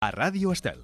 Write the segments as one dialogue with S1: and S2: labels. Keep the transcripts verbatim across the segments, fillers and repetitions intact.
S1: A Ràdio Estel.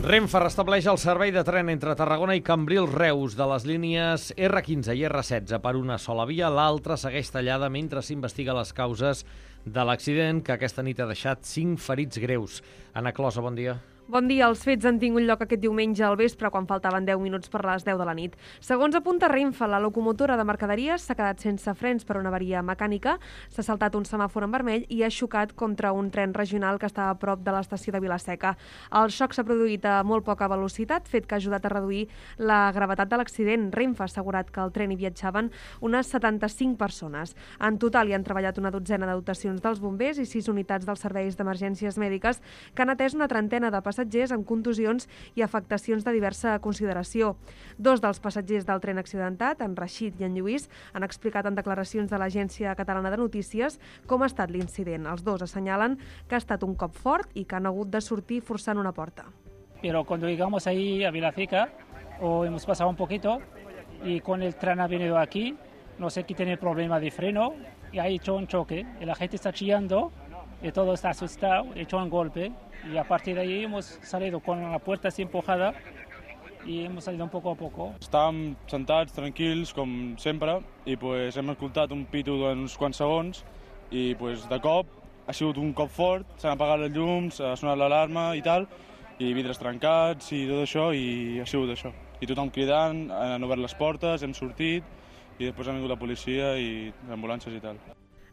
S2: Renfe restableix el servei de tren entre Tarragona i Cambrils-Reus de les línies erre quinze i erre setze per una sola via. L'altra segueix tallada mentre s'investiga les causes de l'accident que aquesta nit ha deixat cinc ferits greus. Anna Closa, bon dia.
S3: Bon dia. Els fets han tingut lloc aquest diumenge al vespre, quan faltaven deu minuts per les deu de la nit. Segons apunta Renfe, la locomotora de mercaderies s'ha quedat sense frens per una avaria mecànica, s'ha saltat un semàfor en vermell i ha xocat contra un tren regional que estava a prop de l'estació de Vilaseca. El xoc s'ha produït a molt poca velocitat, fet que ha ajudat a reduir la gravetat de l'accident. Renfe ha assegurat que al tren hi viatjaven unes setanta-cinc persones. En total hi han treballat una dotzena de dotacions dels bombers i sis unitats dels serveis d'emergències mèdiques que han atès una trentena de passatgers amb contusions i afectacions de diversa consideració. Dos dels passatgers del tren accidentat, en Rashid i en Lluís, han explicat en declaracions de l'Agència Catalana de Notícies com ha estat l'incident. Els dos assenyalen que ha estat un cop fort i que han hagut de sortir forçant una porta.
S4: Pero cuando llegamos ahí a Vilaseca, o hemos pasado un poquito, y con el tren ha venido aquí, no sé qué tiene problema de freno, y ha hecho un choque, y la gente está chillando, y todo está asustado, ha hecho un golpe, y a partir de ahí hemos salido con la puerta así empujada, i hem salido un poco a poco.
S5: Estàvem sentats, tranquils, com sempre, i pues, hem escoltat un pito d'uns quants segons, i pues, de cop ha sigut un cop fort, s'han apagat els llums, ha sonat l'alarma i tal, i vidres trencats i tot això, i ha sigut això. I tothom cridant, han obert les portes, hem sortit, i després ha vingut la policia i ambulàncies i tal.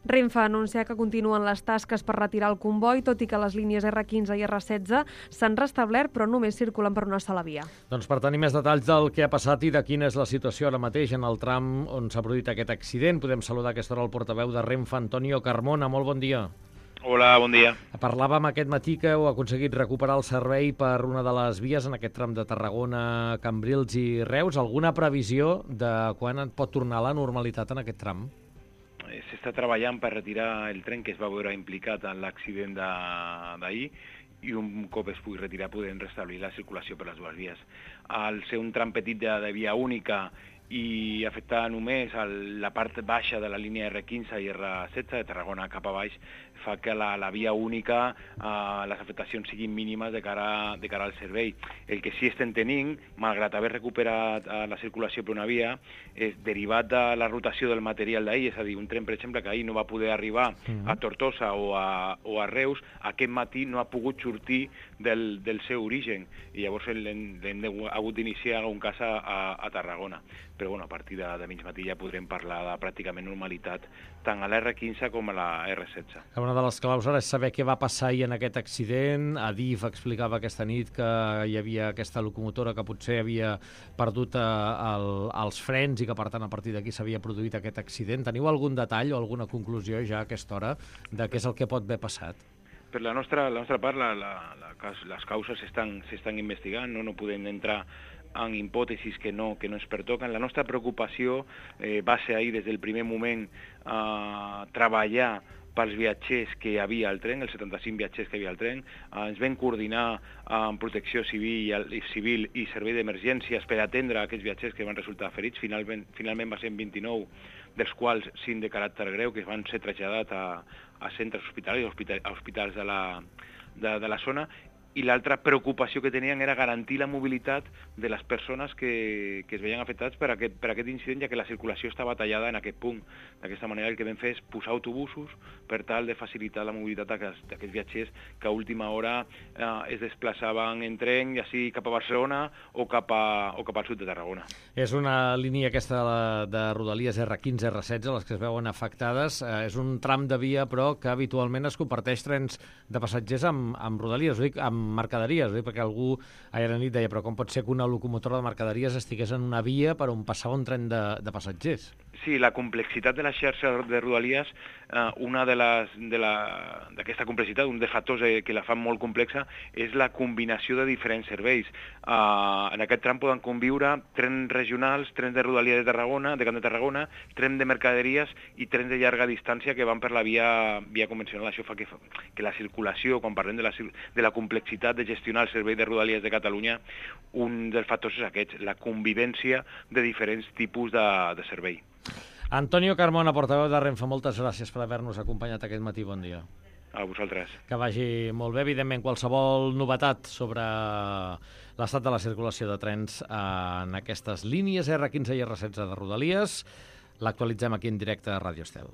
S3: Renfe ha anunciat que continuen les tasques per retirar el comboi, tot i que les línies erre quinze i erre setze s'han restablert, però només circulen per una sola via.
S2: Doncs per tenir més detalls del que ha passat i de quina és la situació ara mateix en el tram on s'ha produït aquest accident, podem saludar a aquesta hora el portaveu de Renfe, Antonio Carmona. Molt bon dia.
S6: Hola, bon dia.
S2: Parlàvem aquest matí que heu aconseguit recuperar el servei per una de les vies en aquest tram de Tarragona, Cambrils i Reus. Alguna previsió de quan pot tornar a la normalitat en aquest tram?
S6: S'està treballant per retirar el tren que es va veure implicat en l'accident d'ahir i un cop es pugui retirar podem restablir la circulació per les dues vies. Al ser un tram petit de, de via única i afectar només el, la part baixa de la línia erre quinze i erre setze de Tarragona cap a baix fa que la, la via única, eh, les afectacions siguin mínimes de cara, de cara al servei. El que sí estem tenint, malgrat haver recuperat eh, la circulació per una via, és derivat de la rotació del material d'ahir, és a dir, un tren, per exemple, que ahir no va poder arribar mm. a Tortosa o a, o a Reus, aquest matí no ha pogut sortir del, del seu origen, i llavors l'hem hagut d'iniciar un cas a, a, a Tarragona. Però bueno, a partir de, de mig matí ja podrem parlar de pràcticament normalitat tant a l'erre quinze com a la erre setze.
S2: Una de les claus ara és saber què va passar ahir en aquest accident. Adif explicava aquesta nit que hi havia aquesta locomotora que potser havia perdut eh, el, els frens i que per tant a partir d'aquí s'havia produït aquest accident. Teniu algun detall o alguna conclusió ja a aquesta hora de què és el que pot haver passat?
S6: Per la nostra, la nostra part, la, la, la, les causes s'estan investigant, no, no podem entrar en hipòtesis que no, que no ens pertoquen. La nostra preocupació eh, va ser ahir des del primer moment eh, treballar pels viatgers que hi havia al tren, els setanta-cinc viatgers que hi havia al tren. Eh, ens vam coordinar amb Protecció Civil i, civil i Servei d'Emergències per atendre aquests viatgers que van resultar ferits. Finalment, finalment va ser vint-i-nou, dels quals cinc de caràcter greu, que van ser traslladats a, a centres hospitalaris, a hospitals de la, de, de la zona. I l'altra preocupació que tenien era garantir la mobilitat de les persones que, que es veien afectats per aquest, per aquest incident, ja que la circulació estava tallada en aquest punt. D'aquesta manera el que vam fer és posar autobusos per tal de facilitar la mobilitat d'aquests viatgers que a última hora eh, es desplaçaven en tren, ja sigui cap a Barcelona o cap, a, o cap al sud de Tarragona.
S2: És una línia aquesta de, de Rodalies erre quinze, erre setze, les que es veuen afectades. Eh, és un tram de via, però, que habitualment es comparteix trens de passatgers amb, amb Rodalies, ho dic, amb mercaderies, ho dic, perquè algú ahir a nit deia, però com pot ser que una locomotora de mercaderies estigués en una via per on passava un tren de, de passatgers?
S6: Sí, la complexitat de la xarxa de Rodalies, eh, una de les de la d'aquesta complexitat, un dels factors eh, que la fan molt complexa, és la combinació de diferents serveis. Eh, en aquest tram poden conviure trens regionals, trens de Rodalia de Tarragona, de Camp de Tarragona, trens de mercaderies i trens de llarga distància que van per la via, via convencional. Això fa que, que la circulació, quan parlem de la, de la complexitat de gestionar el servei de Rodalies de Catalunya, un dels factors és aquest, la convivència de diferents tipus de, de servei.
S2: Antonio Carmona, portaveu de Renfe, moltes gràcies per haver-nos acompanyat aquest matí. Bon dia.
S6: A vosaltres.
S2: Que vagi molt bé. Evidentment, qualsevol novetat sobre l'estat de la circulació de trens en aquestes línies erre quinze i erre setze de Rodalies l'actualitzem aquí en directe a Ràdio Estel.